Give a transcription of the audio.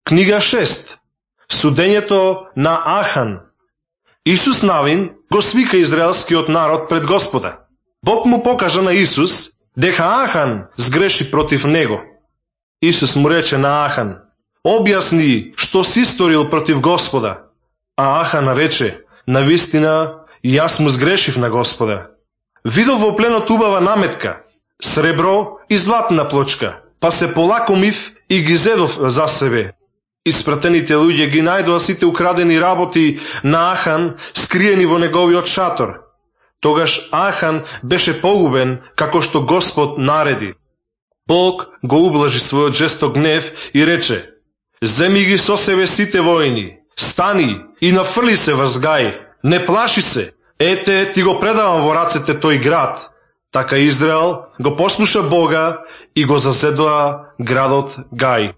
Книга 6. Судењето на Ахан. Исус Навин го свика израелскиот народ пред Господа. Бог му покажа на Исус дека Ахан сгреши против него. Исус му рече на Ахан: објасни што си сторил против Господа. А Ахан рече: навистина, јас му сгрешив на Господа. Видов во пленот убава наметка, сребро и златна плочка, па се полакомив и ги зедов за себе. Испратените луѓе ги најдоа сите украдени работи на Ахан скриени во неговиот шатор. Тогаш Ахан беше погубен како што Господ нареди. Бог го ублажи својот жесток гнев и рече: земи ги со себе сите војни, стани и нафрли се врз Гај, не плаши се, ете ти го предавам во рацете тој град. Така Израел го послуша Бога и го зазедоа градот Гај.